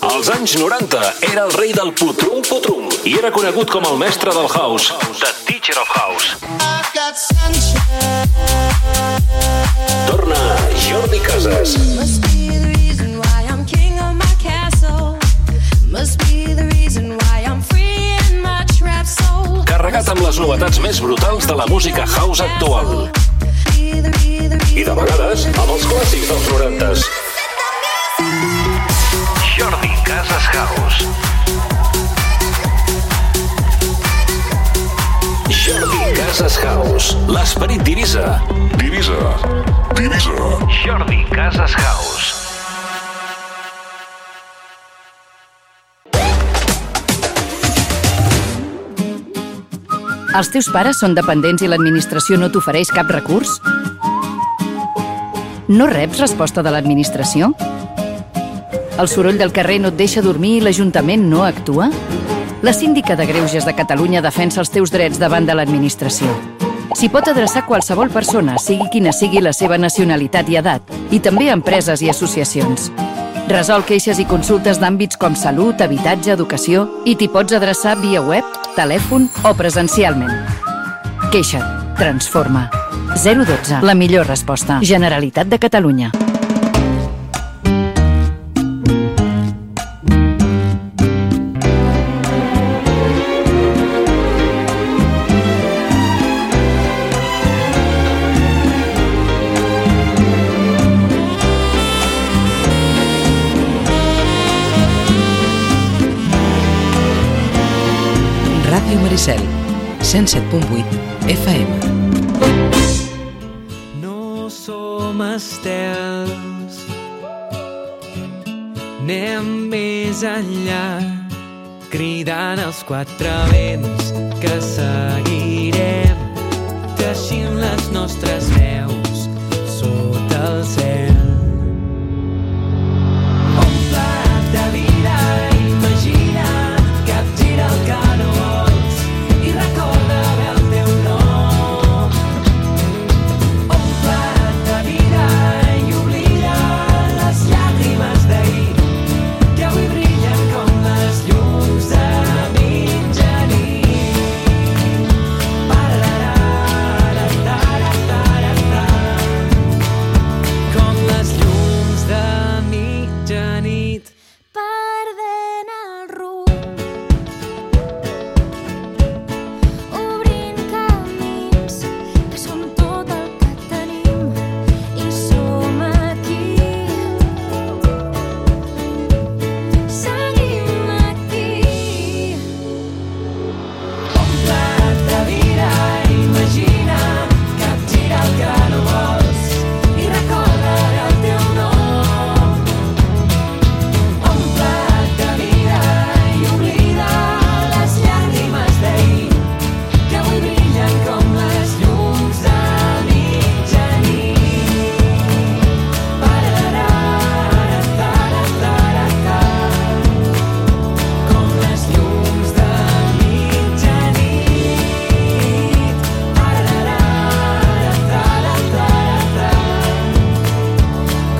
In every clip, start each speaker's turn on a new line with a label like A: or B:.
A: Als anys 90 era el rei del putrum-putrum i era conegut com el mestre del house, The Teacher of House. Torna Jordi Casas. Carregat amb les novetats més brutals de la música house actual. I de vegades amb els clàssics dels 90s. Jordi Casas House. Jordi Casas House. L'esperit d'Eivissa. D'Eivissa. Jordi Casas House.
B: Els teus pares són dependents i l'administració no t'ofereix cap recurs? No reps resposta de l'administració? El soroll del carrer no et deixa dormir i l'Ajuntament no actua? La Síndica de Greuges de Catalunya defensa els teus drets davant de l'administració. S'hi pot adreçar qualsevol persona, sigui quina sigui la seva nacionalitat i edat, i també empreses i associacions. Resol queixes i consultes d'àmbits com salut, habitatge, educació i t'hi pots adreçar via web, telèfon o presencialment. Queixa't. Transforma. 012. La millor resposta. Generalitat de Catalunya.
C: Ràdio Maricel, 107.8 FM.
D: No som estels, anem més enllà, cridant els quatre vents que seguirem, teixint les nostres veus sota el cel. Un plat de vida, imagina, capgira el que no vols i recorda bé el teu nom. Un plat de vida i oblida les llàgrimes d'ahir que avui brillen com les llums de mitjanit. Com les llums de mitjanit.
E: Perdent el rumb, obrint camins, que som tot el que tenim i som aquí. Seguim aquí.
D: Un plat de vida, imagina, capgira el que no vols i recorda el teu nom. Un plat de vida i oblida les llàgrimes d'ahir que avui brillen com les llums de mitjanit. Com les llums de mitjanit.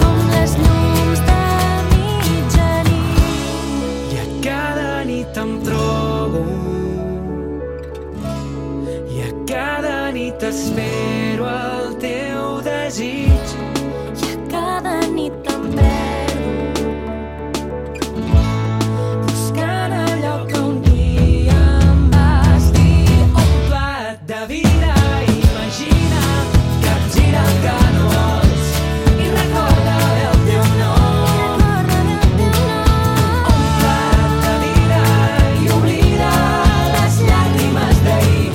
E: Com les llums de mitjanit.
D: I a cada nit em trobo, i a cada nit espero el teu desig.
E: I a cada nit em perdo, buscant allò que un dia em vas dir.
D: Un plat de vida, imagina, capgira el que no vols i recorda bé el teu nom. Un plat de vida i oblida les llàgrimes d'ahir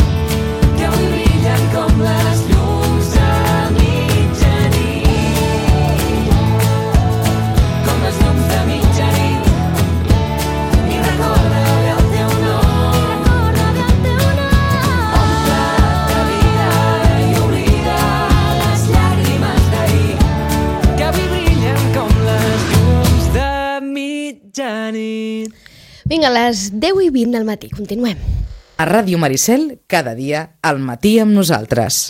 D: que avui brillen com les llums de mitjanit. Com les llums de mitjanit. I recorda bé el teu nom. Un plat de vida i oblida les llàgrimes d'ahir que avui brillen com les llums de mitjanit.
F: Vinga, a les 10:20 del matí, continuem.
C: A Ràdio Maricel, cada dia, al matí amb nosaltres.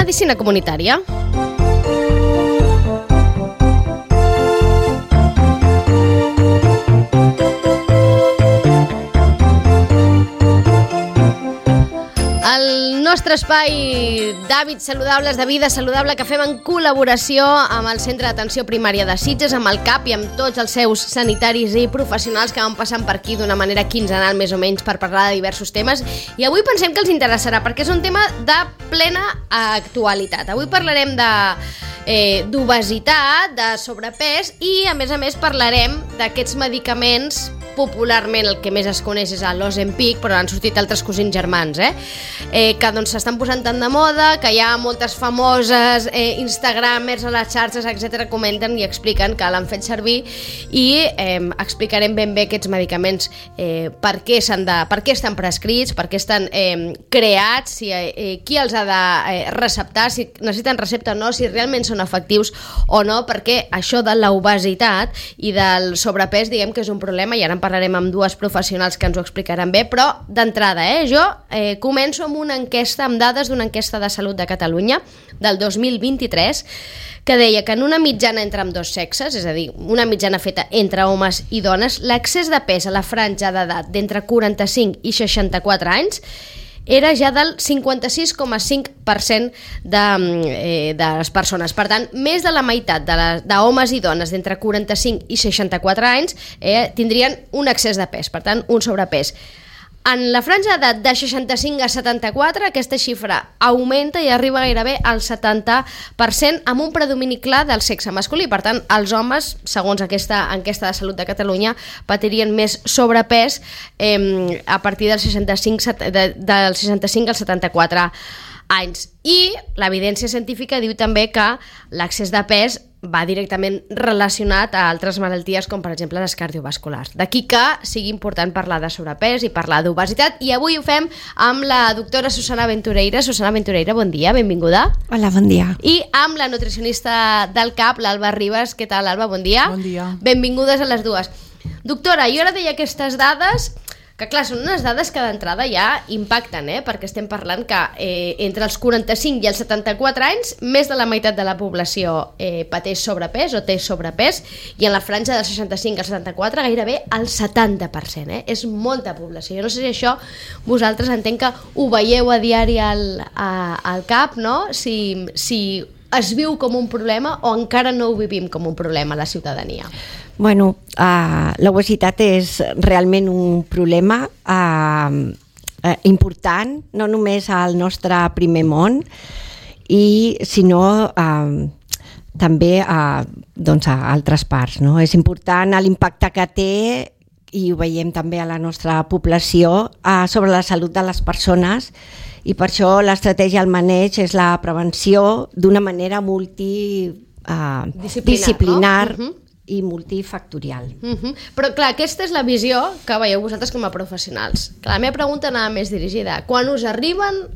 F: medicina comunitària. El nostre espai d'hàbits saludables, de vida saludable, que fem en col·laboració amb el Centre d'Atenció Primària de Sitges, amb el CAP i amb tots els seus sanitaris i professionals que van passant per aquí d'una manera quinzenal més o menys per parlar de diversos temes. I avui pensem que els interessarà perquè és un tema de plena actualitat. Avui parlarem d'obesitat, de sobrepès i a més parlarem d'aquests medicaments. Popularment el que més es coneix és l'Ozempic, però han sortit altres cosins germans, que doncs s'estan posant tant de moda, que hi ha moltes famoses instagramers a les xarxes, etc., comenten i expliquen que l'han fet servir i explicarem ben bé aquests medicaments, per què estan prescrits, per què estan creats, qui els ha de receptar, si necessiten recepta o no, si realment són efectius o no, perquè això de l'obesitat i del sobrepès diguem que és un problema i ara en parlarem amb dues professionals que ens ho explicaran bé, però d'entrada, jo començo amb una enquesta, amb dades d'una enquesta de salut de Catalunya del 2023 que deia que en una mitjana entre ambdós sexes, és a dir, una mitjana feta entre homes i dones, l'accés de pes a la franja d'edat d'entre 45 i 64 anys era ja del 56,5% de les persones. Per tant, més de la meitat d'homes i dones d'entre 45 i 64 anys tindrien un excés de pes, per tant, un sobrepès. En la franja d'edat de 65 a 74, aquesta xifra augmenta i arriba gairebé al 70% amb un predomini clar del sexe masculí. Per tant, els homes, segons aquesta enquesta de salut de Catalunya, patirien més sobrepès a partir del 65 al 74 anys. I l'evidència científica diu també que l'excés de pes va directament relacionat a altres malalties com per exemple les cardiovasculars. D'aquí que sigui important parlar de sobrepès i parlar d'obesitat i avui ho fem amb la doctora Susana Ventureira. Susana Ventureira, bon dia, benvinguda.
G: Hola, bon dia.
F: I amb la nutricionista del CAP, l'Alba Ribas. Què tal, Alba? Bon dia.
G: Bon dia.
F: Benvingudes a les dues. Doctora, jo ara deia aquestes dades que clar, són unes dades que d'entrada ja impacten, perquè estem parlant que entre els 45 i els 74 anys més de la meitat de la població pateix sobrepès o té sobrepès i en la franja dels 65 als 74 gairebé el 70%, és molta població. Jo no sé si això vosaltres entenc que ho veieu a diari al CAP, no? Si es viu com un problema o encara no ho vivim com un problema a la ciutadania.
G: Bueno, l'obesitat és realment un problema important, no només al nostre primer món, sinó també doncs, a altres parts. No? És important l'impacte que té, i ho veiem també a la nostra població, sobre la salut de les persones, i per això l'estratègia al maneig és la prevenció d'una manera multidisciplinar, no? I multifactorial.
F: Però clar, aquesta és la visió que veieu vosaltres com a professionals. La meva pregunta anava més dirigida. Quan us arriben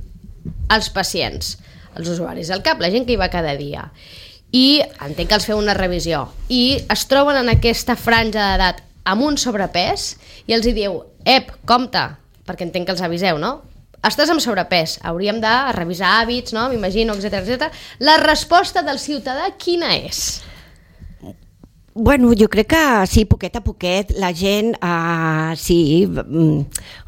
F: els pacients, els usuaris del CAP, la gent que hi va cada dia, i entenc que els feu una revisió, i es troben en aquesta franja d'edat amb un sobrepès, i els hi diu, compte, perquè entenc que els aviseu, no? Estàs amb sobrepès, hauríem de revisar hàbits, no? M'imagino, etc. La resposta del ciutadà quina és?
G: Bueno, jo crec que sí, poquet a poquet la gent sí,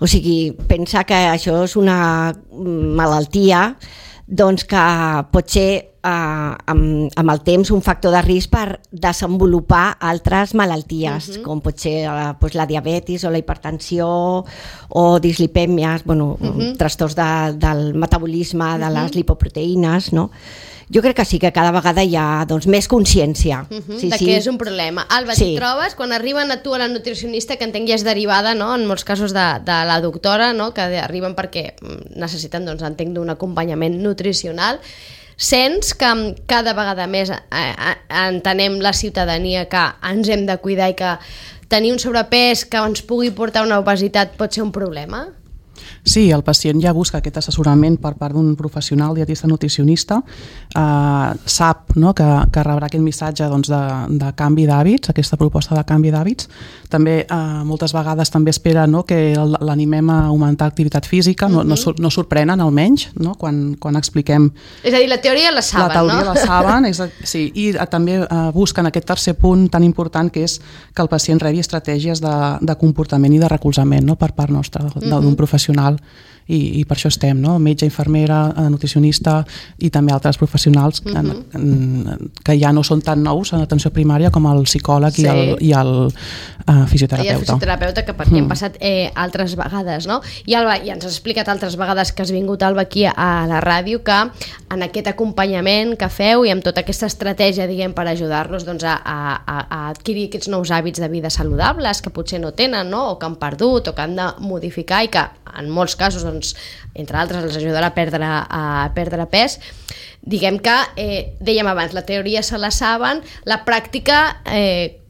G: o sigui, pensa que això és una malaltia, doncs que pot ser amb el temps un factor de risc per desenvolupar altres malalties, com pot ser la diabetis o la hipertensió o dislipèmies, trastorns del metabolisme, de les lipoproteïnes, no? Jo crec que sí, que cada vegada hi ha més consciència.
F: Que és un problema. Alba, t'hi trobes? Quan arriben a tu a la nutricionista, que entenc ja és derivada, no? En molts casos de la doctora, no? Que arriben perquè necessiten, entenc, d'un acompanyament nutricional, sents que cada vegada més entenem la ciutadania que ens hem de cuidar i que tenir un sobrepès que ens pugui portar a una obesitat pot ser un problema?
H: Sí, el pacient ja busca aquest assessorament per part d'un professional dietista nutricionista, sap, no, que rebrà aquest missatge doncs, de canvi d'hàbits, aquesta proposta de canvi d'hàbits. També moltes vegades també espera, no, que l'animem a augmentar activitat física, no sorprenen almenys, no, quan expliquem...
F: És a dir, la teoria la saben,
H: la teoria
F: no?
H: la saben, sí, i també busquen aquest tercer punt tan important que és que el pacient rebi estratègies de comportament i de recolzament, no, per part nostra, d'un professional. I per això estem, no? Metge, infermera, nutricionista i també altres professionals que ja no són tan nous en atenció primària com el psicòleg i el fisioterapeuta.
F: I el fisioterapeuta, que per aquí hem passat altres vegades, no? I Alba, ja ens has explicat altres vegades que has vingut, Alba, aquí a la ràdio, que en aquest acompanyament que feu i amb tota aquesta estratègia, diguem, per ajudar-los doncs, a adquirir aquests nous hàbits de vida saludables que potser no tenen, no? O que han perdut o que han de modificar i que en molts casos, doncs, entre altres, els ajudarà a perdre pes. Diguem que, dèiem abans, la teoria se la saben, la pràctica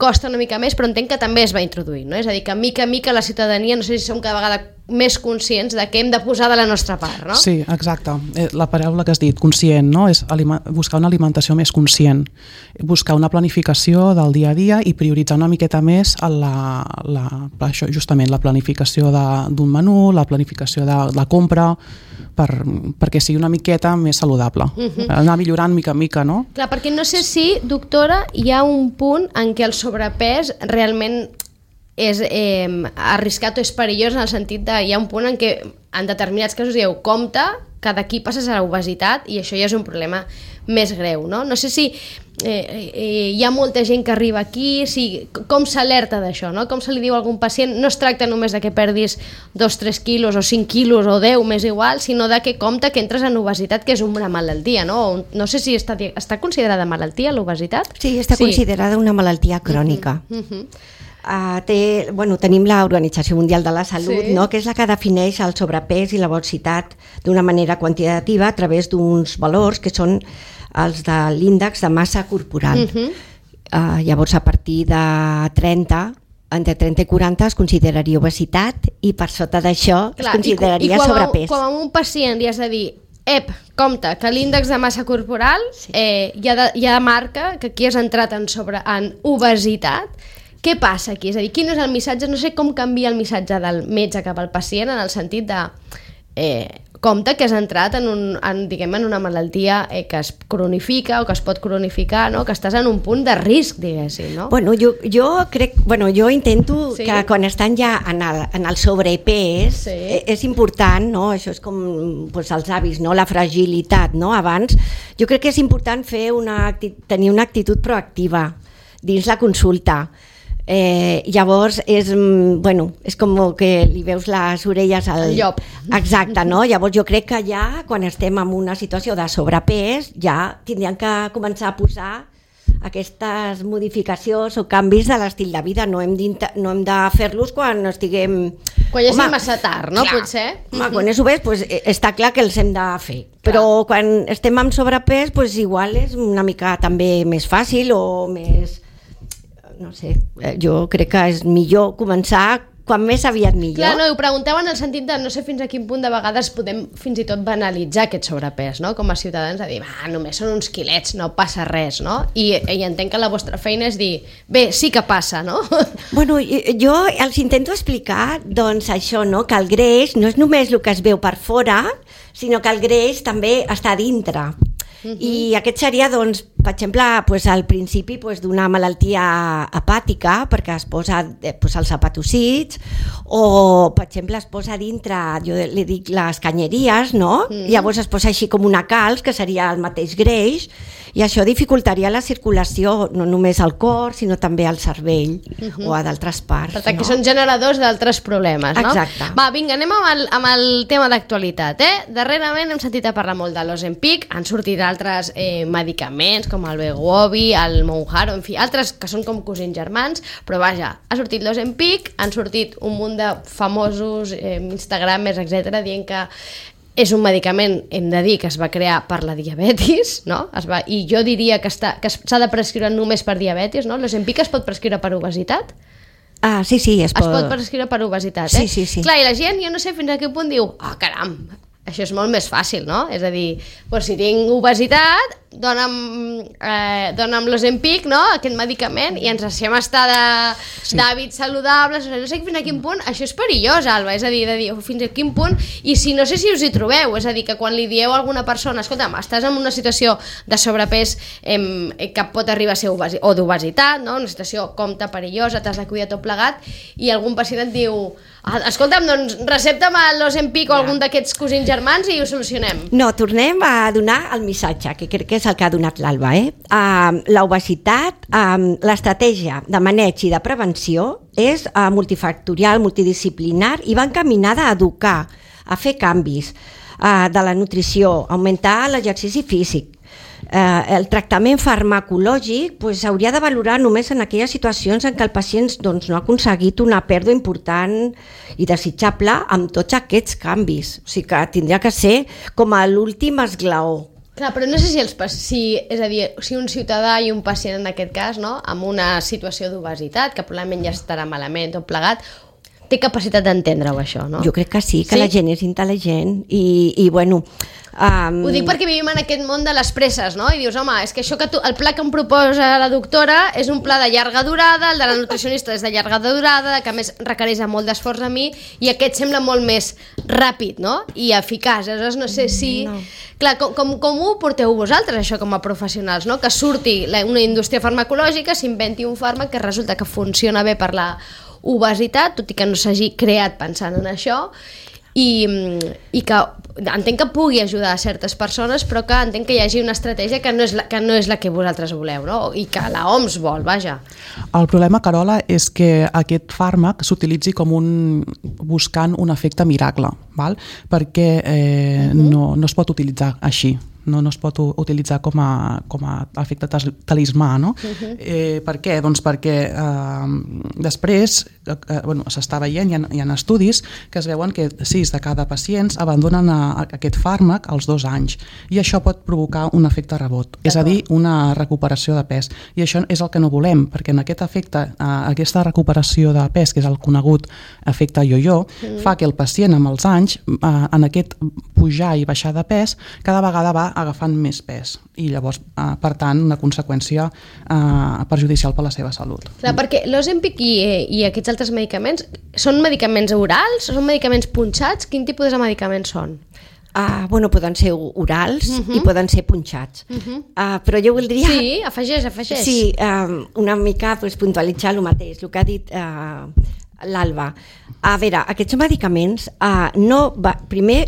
F: costa una mica més, però entenc que també es va introduir, no? És a dir, que mica a mica la ciutadania, no sé si som cada vegada més conscients de què hem de posar de la nostra part, no?
H: Sí, exacte. La paraula que has dit, conscient, no? És buscar una alimentació més conscient, buscar una planificació del dia a dia i prioritzar una miqueta més això, justament la planificació d'un menú, la planificació de la compra, perquè sigui una miqueta més saludable. Anar millorant mica en mica, no?
F: Clar, perquè no sé si, doctora, hi ha un punt en què el sobrepès realment és arriscat o és perillós, en el sentit de hi ha un punt en què en determinats casos dieu compte que d'aquí passes a l'obesitat i això ja és un problema més greu, no? No sé si hi ha molta gent que arriba aquí, com s'alerta d'això, no? Com se li diu a algun pacient? No es tracta només de que perdis 2-3 quilos o 5 quilos o 10, m'és igual, sinó de que compte que entres en obesitat, que és una malaltia, no? No sé si està considerada malaltia l'obesitat?
G: Sí, està considerada una malaltia crònica. Tenim l'Organització Mundial de la Salut, no? Que és la que defineix el sobrepès i l'obesitat d'una manera quantitativa a través d'uns valors que són els de l'índex de massa corporal. Llavors, a partir de 30, entre 30 i 40 es consideraria obesitat i per sota d'això es consideraria sobrepès.
F: I quan a un pacient li has de dir compte, que l'índex de massa corporal ja marca que aquí has entrat en obesitat. Què passa aquí? És a dir, quin és el missatge? No sé com canvia el missatge del metge cap al pacient en el sentit de compte que has entrat en una malaltia que es cronifica o que es pot cronificar, no? Que estàs en un punt de risc, diguéssim, no?
G: Jo intento que quan estan ja en el sobrepès és important, no? Això és com els avis, no? La fragilitat, no? Abans, jo crec que és important tenir una actitud proactiva dins la consulta. Llavors és com que li veus les orelles al
F: llop.
G: Exacte, no? Llavors jo crec que ja quan estem en una situació de sobrepès ja tindríem que començar a posar aquestes modificacions o canvis de l'estil de vida. No hem de fer-los quan estiguem...
F: Quan ja sigui massa tard, no?
G: Clar.
F: Potser.
G: Quan és obès, està clar que els hem de fer. Però quan estem amb sobrepès, igual és una mica també més fàcil o més... No sé, jo crec que és millor començar quan més aviat millor.
F: Clar, no, ho pregunteu en el sentit de no sé fins a quin punt de vegades podem fins i tot banalitzar aquest sobrepès, no? Com a ciutadans, a dir, només són uns quilets, no passa res, no? I entenc que la vostra feina és dir, bé, sí que passa, no?
G: Jo els intento explicar, doncs, això, no? Que el greix no és només el que es veu per fora, sinó que el greix també està dintre. I aquest seria, doncs, per exemple, al principi d'una malaltia hepàtica, perquè es posa els hepatòcits, o, per exemple, es posa dintre, jo li dic les canyeries, no? Llavors es posa així com una calç, que seria el mateix greix, i això dificultaria la circulació, no només al cor, sinó també al cervell o a d'altres parts.
F: Per tant, que són generadors d'altres problemes, no?
G: Exacte.
F: Va, vinga, anem amb el tema d'actualitat, Darrerament hem sentit a parlar molt de l'Ozempic, han sortit altres medicaments, com el Wegovy, el Mounjaro, en fi, altres que són com cosins germans, però vaja, ha sortit l'Ozempic, han sortit un munt de famosos instagramers, etc., dient que és un medicament, hem de dir, que es va crear per la diabetis, no? I jo diria que s'ha de prescriure només per diabetis, no? L'Ozempic es pot prescriure per obesitat?
G: Sí, es
F: pot prescriure per obesitat,
G: Sí, sí, sí.
F: Clar, i la gent, jo no sé fins a quin punt diu, caram, això és molt més fàcil, no? És a dir, doncs si tinc obesitat, dona'm l'Ozempic, no?, aquest medicament, i ens deixem estar d'hàbits saludables. No sé fins a quin punt això és perillós, Alba, és a dir, fins a quin punt, i si no sé si us hi trobeu, és a dir, que quan li dieu a alguna persona, escolta'm, estàs en una situació de sobrepès que pot arribar a ser o d'obesitat, no?, una situació compta perillosa, t'has de cuidar tot plegat, i algun pacient et diu, escolta'm, doncs recepta'm l'Ozempic o algun d'aquests cosins germans i ho solucionem.
G: No, tornem a donar el missatge, que crec que és el que ha donat l'Alba. L'obesitat, l'estratègia de maneig i de prevenció és multifactorial, multidisciplinar i va encaminada a educar, a fer canvis de la nutrició, augmentar l'exercici físic. El tractament farmacològic s'hauria de valorar només en aquelles situacions en què el pacient no ha aconseguit una pèrdua important i desitjable amb tots aquests canvis. O sigui que tindria que ser com a l'últim esglaó.
F: Clar, però no sé si un ciutadà i un pacient en aquest cas, no?, amb una situació d'obesitat, que probablement ja estarà malament tot plegat, té capacitat d'entendre-ho, això, no?
G: Jo crec que sí, que la gent és intel·ligent i bueno...
F: Ho dic perquè vivim en aquest món de les presses, no? I dius, home, és que això que el pla que em proposa la doctora és un pla de llarga durada, el de la nutricionista és de llarga durada, que a més requereix molt d'esforç a mi, i aquest sembla molt més ràpid, no?, i eficaç. Aleshores no sé si... No. Clar, com ho porteu vosaltres, això, com a professionals, no?, que surti una indústria farmacològica, s'inventi un fàrmac que resulta que funciona bé per la obesitat, tot i que no s'hagi creat pensant en això, i que entenc que pugui ajudar a certes persones, però que entenc que hi hagi una estratègia que no és la que vosaltres voleu, no?, i que la OMS vol, vaja.
H: El problema, Carola, és que aquest fàrmac s'utilitzi buscant un efecte miracle, val? Perquè no es pot utilitzar així. No es pot utilitzar com a efecte talismà, no? Per què? Doncs perquè després s'està veient, hi ha estudis que es veuen que 6 de cada pacients abandonen aquest fàrmac als 2 anys, i això pot provocar un efecte rebot, és a dir, una recuperació de pes, i això és el que no volem, perquè en aquest efecte, aquesta recuperació de pes, que és el conegut efecte yo-yo, fa que el pacient amb els anys, en aquest pujar i baixar de pes, cada vegada va agafant més pes, i llavors, per tant, una conseqüència perjudicial per la seva salut.
F: Clar, perquè l'Ozempic i aquests altres medicaments són medicaments orals? Són medicaments punxats? Quin tipus de medicaments són?
G: Poden ser orals i poden ser punxats. Però jo voldria...
F: Sí, afegeix.
G: Sí, una mica puntualitzar el mateix, el que ha dit l'Alba. A veure, aquests medicaments primer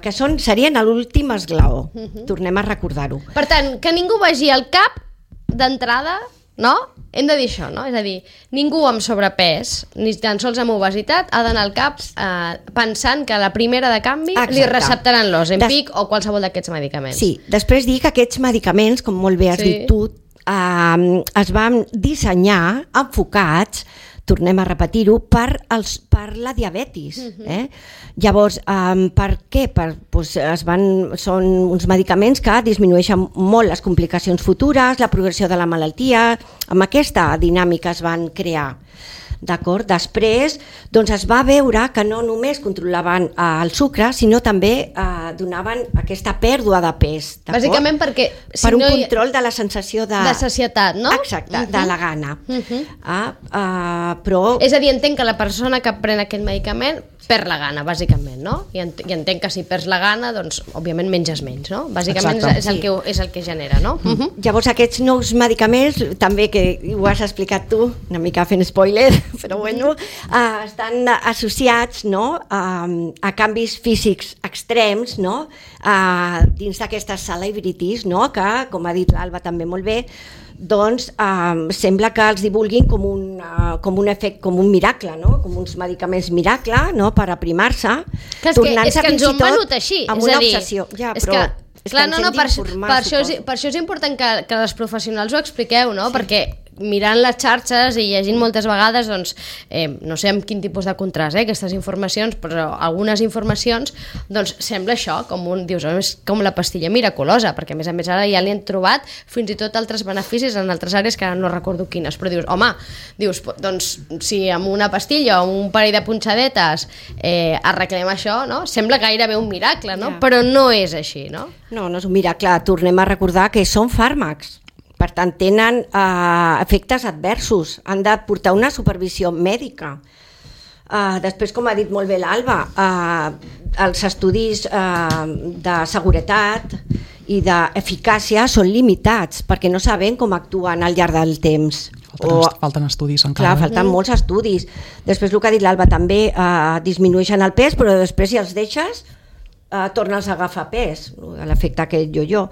G: que serien l'últim esglaó. Tornem a recordar-ho.
F: Per tant, que ningú vagi al cap d'entrada, no? Hem de dir això, no? És a dir, ningú amb sobrepès, ni tan sols amb obesitat, ha d'anar al cap pensant que a la primera de canvi li receptaran l'Ozempic o qualsevol d'aquests medicaments.
G: Sí, després dir que aquests medicaments, com molt bé has dit tu, es van dissenyar enfocats, tornem a repetir-ho, per la diabetis. Llavors, per què? Són uns medicaments que disminueixen molt les complicacions futures, la progressió de la malaltia, amb aquesta dinàmica es van crear. D'acord? Després es va veure que no només controlaven el sucre, sinó també donaven aquesta pèrdua de pes.
F: Bàsicament perquè...
G: Per un control de la sensació de
F: sacietat, no?
G: Exacte, de la gana. Però...
F: És a dir, entenc que la persona que pren aquest medicament perd la gana, bàsicament, no? I entenc que si perds la gana, doncs, òbviament menges menys, no? Bàsicament és el que genera, no?
G: Llavors, aquests nous medicaments, també que ho has explicat tu, una mica fent spoiler, però bueno, estan associats, no?, a canvis físics extrems, no?, dins d'aquestes celebrities, no?, que, com ha dit l'Alba també molt bé, doncs sembla que els divulguin com un efecte, com un miracle, no?, com uns medicaments miracle, no?, per aprimar-se, tornant-se fins i tot amb una obsessió. Ja, però...
F: Clar, per això és important que les professionals ho expliqueu, no? Perquè mirant les xarxes i llegint moltes vegades, doncs, no sé amb quin tipus de contrast, aquestes informacions, però algunes informacions, doncs sembla això, dius, és com la pastilla miraculosa, perquè a més ara ja li han trobat fins i tot altres beneficis en altres àrees que ara no recordo quines, però dius, home, doncs si amb una pastilla o un parell de punxadetes arreglem això, no? Sembla gairebé un miracle, no?
G: Ja.
F: Però no és així, no?
G: No és un miracle. Tornem a recordar que són fàrmacs. Per tant, tenen efectes adversos. Han de portar una supervisió mèdica. Després, com ha dit molt bé l'Alba, els estudis de seguretat i d'eficàcia són limitats perquè no sabem com actuen al llarg del temps.
H: Falten estudis encara.
G: Clar, falten molts estudis. Després, el que ha dit l'Alba, també disminueixen el pes, però després, si els deixes, tornes a agafar pes, l'efecte aquest jo-jo.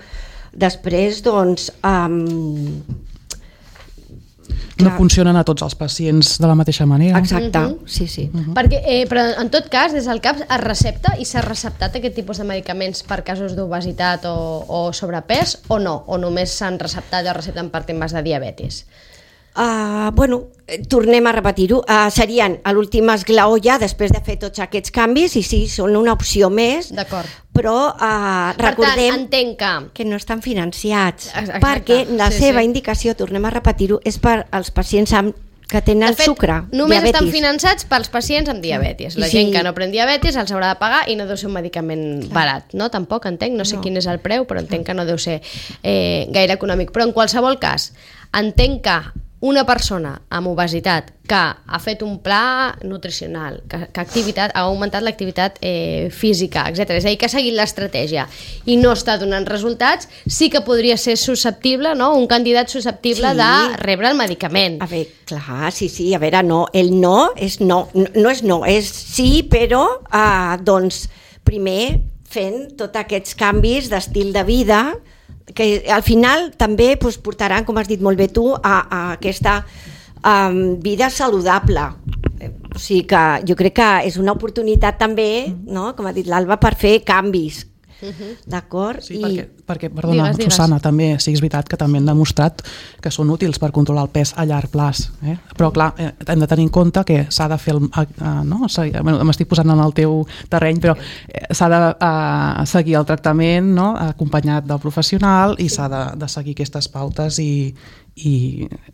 G: Després, doncs...
H: No funcionen a tots els pacients de la mateixa manera.
G: Exacte, sí.
F: Perquè, però en tot cas, des del CAPS es recepta i s'ha receptat aquest tipus de medicaments per casos d'obesitat o sobrepès o no? O només s'han receptat o recepten per temes de diabetis?
G: Tornem a repetir-ho, serien a l'últim esglaó ja després de fer tots aquests canvis i sí, són una opció més, però recordem
F: entenc
G: que no estan financiats.
F: Exacte.
G: Perquè la seva indicació, tornem a repetir-ho, és per als pacients que tenen sucre,
F: només
G: diabetis.
F: estan finançats pels pacients amb diabetis. La gent que no pren diabetis els haurà de pagar i no deu ser un medicament barat, no? Tampoc entenc, no sé quin és el preu, però entenc que no deu ser gaire econòmic. Però en qualsevol cas, entenc que una persona amb obesitat que ha fet un pla nutricional, que ha augmentat l'activitat física, etc. És a dir, que ha seguit l'estratègia i no està donant resultats, sí que podria ser susceptible, no? Un candidat susceptible de rebre el medicament.
G: A veure, clar, sí, a veure, no, el no és no, no és no, és sí, però doncs primer fent tots aquests canvis d'estil de vida que al final també portaran, com has dit molt bé tu, a aquesta vida saludable. O sigui que jo crec que és una oportunitat també, no? Com ha dit l'Alba, per fer canvis. D'acord?
H: Sí, perquè perdona, digues. Susana, també sí és veritat que també han demostrat que són útils per controlar el pes a llarg plaç, però clar, hem de tenir en compte que s'ha de fer m'estic posant en el teu terreny, però s'ha de seguir el tractament, no? Acompanyat del professional i s'ha de seguir aquestes pautes i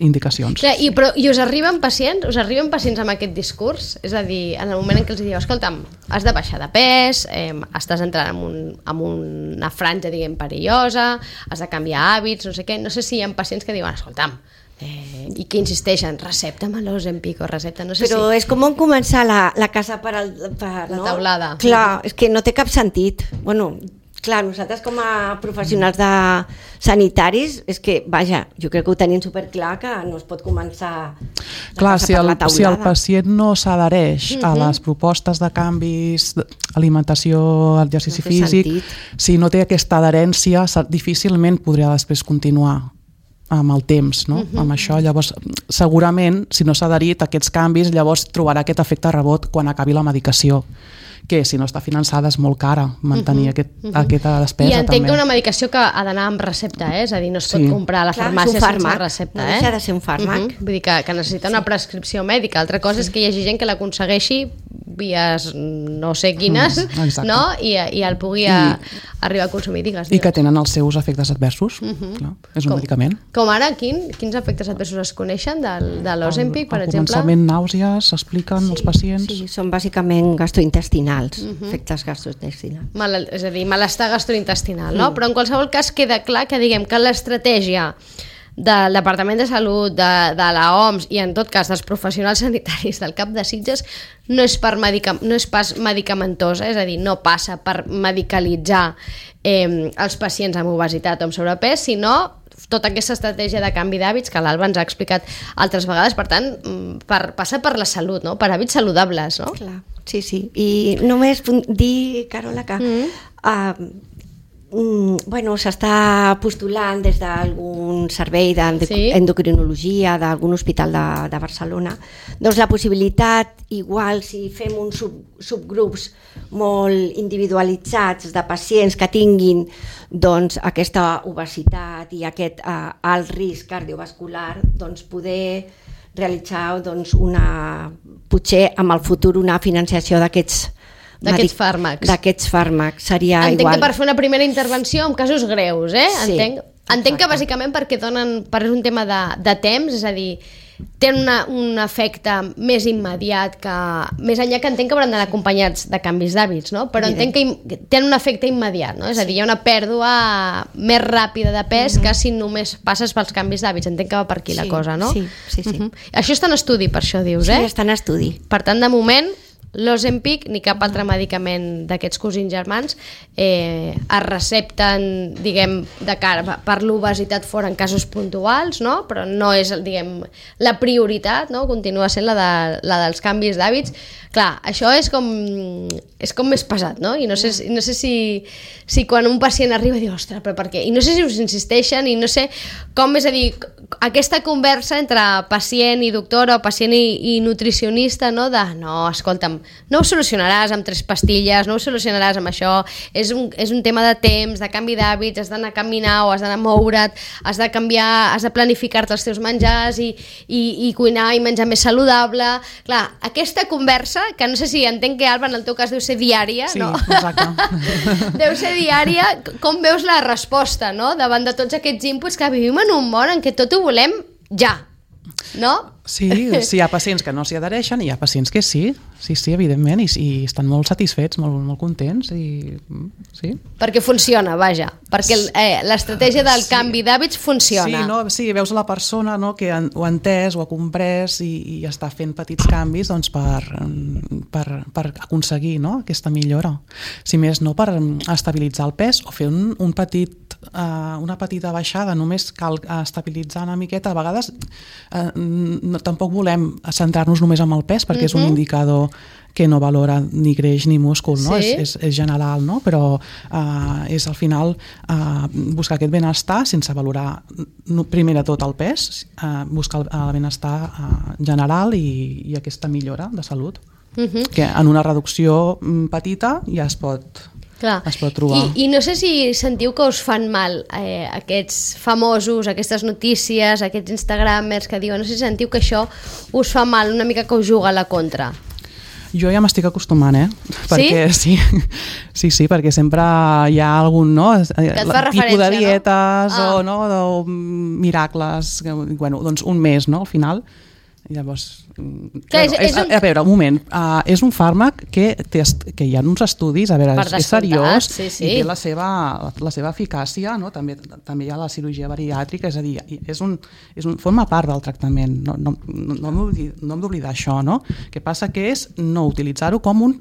H: indicacions.
F: I us arriben pacients amb aquest discurs? És a dir, en el moment en què els dieu, escolta'm, has de baixar de pes, estàs entrant en una franja, diguem, perillosa, has de canviar hàbits, no sé què, no sé si hi ha pacients que diuen, escolta'm, i que insisteixen, recepta'm l'Ozempic o recepta, no sé
G: però és com començar la casa per
F: la taulada.
G: Clar, és que no té cap sentit. Bueno, clar, nosaltres com a professionals sanitaris, és que, vaja, jo crec que ho tenim superclar que no es pot començar
H: clar, si el pacient no s'adhereix a les propostes de canvis, alimentació, exercici físic, si no té aquesta adherència, difícilment podria després continuar amb el temps, no? Amb això, llavors segurament si no s'ha adherit a aquests canvis, llavors trobarà aquest efecte rebot quan acabi la medicació, que si no està finançada és molt cara mantenir aquesta despesa.
F: I entenc que una medicació que ha d'anar amb recepta, és a dir, no es pot comprar a la farmàcia sense recepta.
G: No deixa de ser un fàrmac.
F: Vull dir que necessita una prescripció mèdica. Altra cosa és que hi hagi gent que l'aconsegueixi vies no sé quines, no? I el pugui arribar a consumir, digues.
H: I que tenen els seus efectes adversos. Clar, és un medicament.
F: Com ara, quins efectes adversos es coneixen de l'Ozempic, per exemple?
H: Al començament nàusees, s'expliquen als pacients.
G: Sí, són bàsicament gastrointestinals, efectes gastrointestinals.
F: És a dir, malestar gastrointestinal, no? Però en qualsevol cas queda clar que diguem que l'estratègia del Departament de Salut, de la OMS i en tot cas dels professionals sanitaris del CAP de Sitges no és pas medicamentosa, és a dir, no passa per medicalitzar els pacients amb obesitat o amb sobrepès, sinó tota aquesta estratègia de canvi d'hàbits que l'Alba ens ha explicat altres vegades, per tant, passa per la salut, no? Per hàbits saludables, no?
G: Clar, sí. I només dir, Carola, que Bueno, s'està postulant des d'algun servei d'endocrinologia d'algun hospital de Barcelona, doncs la possibilitat, igual si fem uns subgrups molt individualitzats de pacients que tinguin doncs, aquesta obesitat i aquest alt risc cardiovascular, doncs poder realitzar doncs, potser en el futur una financiació d'aquests fàrmacs seria
F: entenc
G: igual.
F: Que per fer una primera intervenció en casos greus,
G: Sí,
F: entenc que bàsicament perquè és un tema de temps, és a dir, tenen un efecte més immediat que... Més enllà que entenc que hauran d'anar acompanyats de canvis d'hàbits, no? Però entenc que tenen un efecte immediat, no? És a dir, hi ha una pèrdua més ràpida de pes que si només passes pels canvis d'hàbits. Entenc que va per aquí la cosa, no?
G: Sí.
F: Això està en estudi, per això dius,
G: Sí, està en estudi.
F: Per tant, de moment, l'Ozempic ni cap altre medicament d'aquests cosins germans es recepten, diguem, de cara per l'obesitat fora en casos puntuals, no? Però no és, diguem, la prioritat, no? Continua sent la dels canvis d'hàbits. Clar, això és com més pesat, no? I no sé si quan un pacient arriba diu, ostres, però per què? I no sé si us insisteixen i no sé com, és a dir, aquesta conversa entre pacient i doctora o pacient i nutricionista, no? No, escolta'm, no ho solucionaràs amb 3 pastilles, no ho solucionaràs amb això, és un tema de temps, de canvi d'hàbits, has d'anar a caminar o has d'anar a moure't, has de canviar, has de planificar-te els teus menjars i cuinar i menjar més saludable. Clar, aquesta conversa, que no sé si entenc que, Alba, en el teu cas deu ser diària,
H: sí,
F: no?
H: Exacte.
F: Deu ser diària, com veus la resposta, no? Davant de tots aquests inputs, que vivim en un món en què tot ho volem ja, no?
H: Sí, hi ha pacients que no s'hi adhereixen i hi ha pacients que sí, evidentment, i estan molt satisfets, molt contents, i sí.
F: Perquè funciona, vaja, perquè l'estratègia del canvi d'hàbits funciona.
H: Sí, veus la persona, no, que ho ha entès, ho ha comprès i està fent petits canvis doncs, per aconseguir, no, aquesta millora. Si més no, per estabilitzar el pes o fer una petita baixada, només cal estabilitzar una miqueta. A vegades tampoc volem centrar-nos només en el pes perquè és un indicador que no valora ni greix ni múscul, no?
F: Sí.
H: És general, no? Però és al final buscar aquest benestar sense valorar primer de tot el pes, buscar el benestar general i aquesta millora de salut, que en una reducció petita ja es pot trobar.
F: I no sé si sentiu que us fan mal aquests famosos, aquestes notícies, aquests instagramers que diuen, no sé si sentiu que això us fa mal, una mica que us juga a la contra.
H: Jo ja m'estic acostumant, perquè sí, perquè sempre hi ha algun, no? Tipus de dietes o miracles, bueno, doncs un mes, no? Al final. I llavors, a veure, un moment, és un fàrmac que hi ha uns estudis, a veure, és seriós i té la seva eficàcia, no? També hi ha la cirurgia bariàtrica, és a dir, forma part del tractament, no hem d'oblidar això, no? El que passa que és no utilitzar-ho com un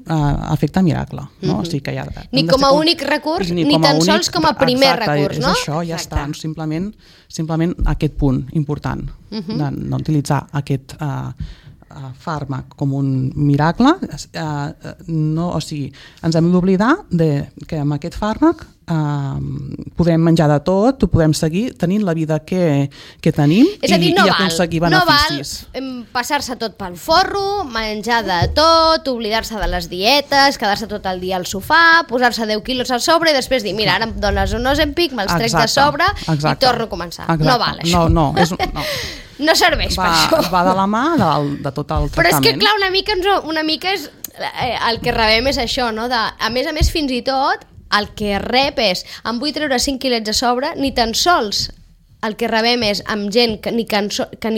H: efecte miracle, no? O sigui que
F: ni com a únic recurs, ni tan sols com a primer recurs, no?
H: És això, ja està, simplement aquest punt important, de no utilitzar aquest fàrmac com un miracle, o sigui, ens hem d'oblidar que amb aquest fàrmac podem menjar de tot, ho podem seguir tenint la vida que tenim i aconseguir beneficis.
F: No val passar-se tot pel forro, menjar de tot, oblidar-se de les dietes, quedar-se tot el dia al sofà, posar-se 10 quilos a sobre i després dir, mira, ara em dones un Ozempic, me'ls trec de sobre i torno a començar. No val això. No serveix per això.
H: Va de la mà de tot el tractament.
F: Però és que, clar, una mica és, el que rebem és això, no? A més, fins i tot, el que rep és, em vull treure 5 quilets a sobre, ni tan sols el que rebem és amb gent que ni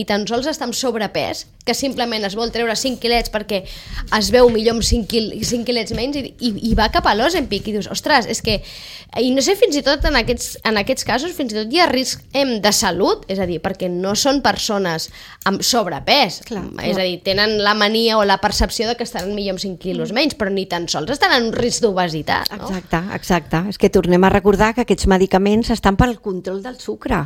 F: tan sols està amb sobrepès, que simplement es vol treure 5 quilets perquè es veu millor amb 5 quilets menys i va cap a l'Ozempic i dius, ostres, és que... I no sé, fins i tot en aquests casos, fins i tot hi ha risc de salut, és a dir, perquè no són persones amb sobrepès, és a dir, tenen la mania o la percepció de que estaran millor amb 5 quilos menys, però ni tan sols estan en un risc d'obesitat, no?
G: Exacte. És que tornem a recordar que aquests medicaments estan pel control del sucre.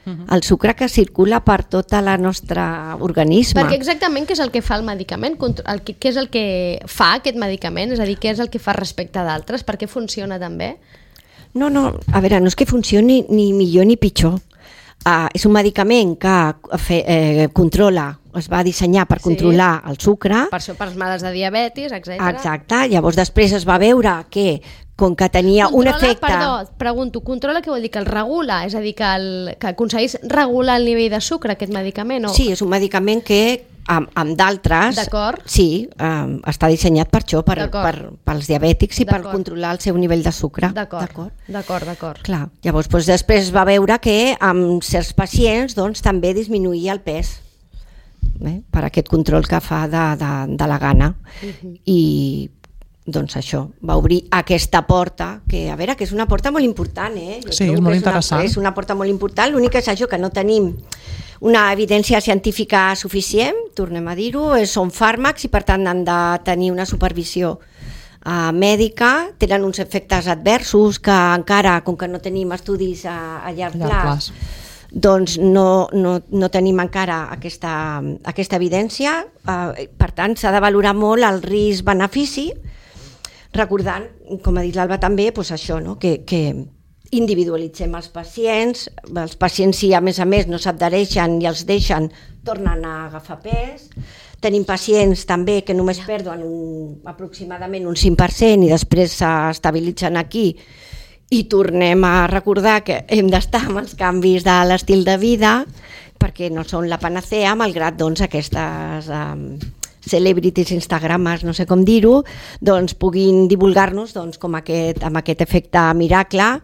G: El sucre que circula per tot el nostre organisme.
F: Perquè exactament què és el que fa el medicament? Què és el que fa aquest medicament? És a dir, què és el que fa respecte d'altres? Per què funciona tan bé?
G: No, a veure, no és que funcioni ni millor ni pitjor. És un medicament que controla, es va dissenyar per controlar el sucre.
F: Per això, per els males de diabetis, etc.
G: Exacte, llavors després es va veure que com que tenia un efecte...
F: Perdó, pregunto, controla què vol dir? Que el regula? És a dir, que aconseguís regular el nivell de sucre, aquest medicament? O...
G: Sí, és un medicament que amb d'altres...
F: D'acord.
G: Sí, està dissenyat per això, pels diabètics i per controlar el seu nivell de sucre.
F: D'acord.
G: Clar, llavors després es va veure que amb certs pacients també disminuïa el pes per aquest control que fa de la gana. I doncs això, va obrir aquesta porta, que a veure, que és una porta molt important,
H: Sí, és molt interessant.
G: És una porta molt important, l'únic és això, que no tenim una evidència científica suficient, tornem a dir-ho, són fàrmacs i per tant han de tenir una supervisió mèdica, tenen uns efectes adversos que encara, com que no tenim estudis a llarg plaç, doncs no tenim encara aquesta evidència, per tant s'ha de valorar molt el risc-benefici, recordant, com ha dit l'Alba també, doncs això, no? que individualitzem els pacients si a més no s'adhereixen i els deixen, tornen a agafar pes. Tenim pacients també que només perden aproximadament un 5% i després s'estabilitzen aquí i tornem a recordar que hem d'estar amb els canvis de l'estil de vida perquè no són la panacea, malgrat aquestes celebrities, instagramers, no sé com dir-ho, doncs puguin divulgar-nos amb aquest efecte miracle,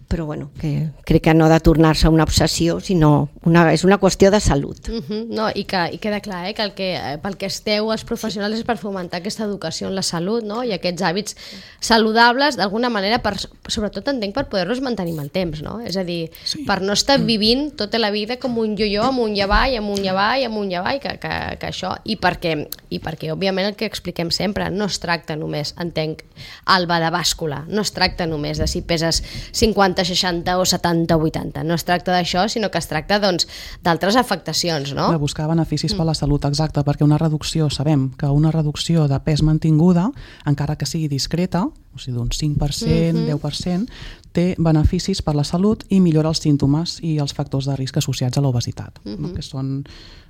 G: però bueno, que crec que no ha de tornar-se una obsessió, sinó és una qüestió de salut.
F: No, i queda clar que pel que esteu els professionals és per fomentar aquesta educació en la salut, no? I aquests hàbits saludables, d'alguna manera, sobretot entenc per poder-los mantenir amb el temps, no? És a dir, per no estar vivint tota la vida com un yo-yo, amunt i avall, que això, i perquè òbviament el que expliquem sempre, no es tracta només, entenc, Alba, de bàscula, no es tracta només de si peses 50, 60 o 70 o 80, no es tracta d'això, sinó que es tracta d'altres afectacions, no?
H: De buscar beneficis per la salut, exacte, perquè sabem que una reducció de pes mantinguda, encara que sigui discreta, o sigui d'un 5%, 10%, té beneficis per la salut i millora els símptomes i els factors de risc associats a l'obesitat, que són,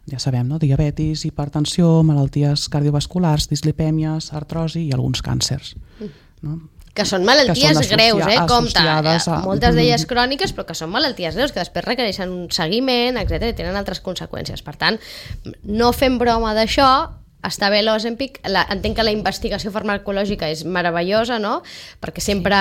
H: ja sabem, diabetis, hipertensió, malalties cardiovasculars, dislipèmies, artrosi i alguns càncers.
F: Que són malalties greus, compte, moltes d'elles cròniques, però que són malalties greus, que després requereixen un seguiment, etc., i tenen altres conseqüències. Per tant, no fem broma d'això, està bé l'Ozempic, entenc que la investigació farmacològica és meravellosa, no? Perquè sempre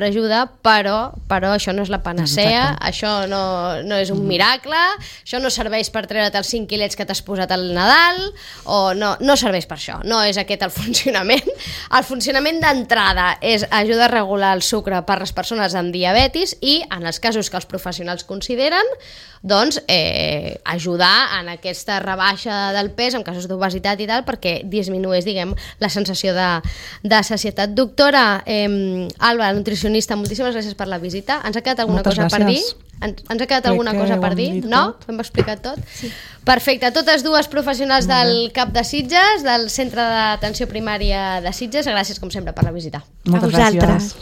F: ajuda, però això no és la panacea, això no és un miracle, això no serveix per treure't els 5 quilets que t'has posat al Nadal, o no serveix per això, no és aquest el funcionament. El funcionament d'entrada és ajudar a regular el sucre per les persones amb diabetis i, en els casos que els professionals consideren, doncs ajudar en aquesta rebaixa del pes en casos d'obesitat i tal, perquè disminueix, diguem, la sensació de sacietat. Doctora Alba, nutricionista, moltíssimes gràcies per la visita. Ens ha quedat alguna cosa per dir? Ens ha quedat alguna cosa per dir? No? Ho hem explicat tot? Sí. Perfecte. Totes dues professionals del CAP de Sitges, del Centre d'Atenció Primària de Sitges. Gràcies, com sempre, per la visita.
H: Moltes gràcies.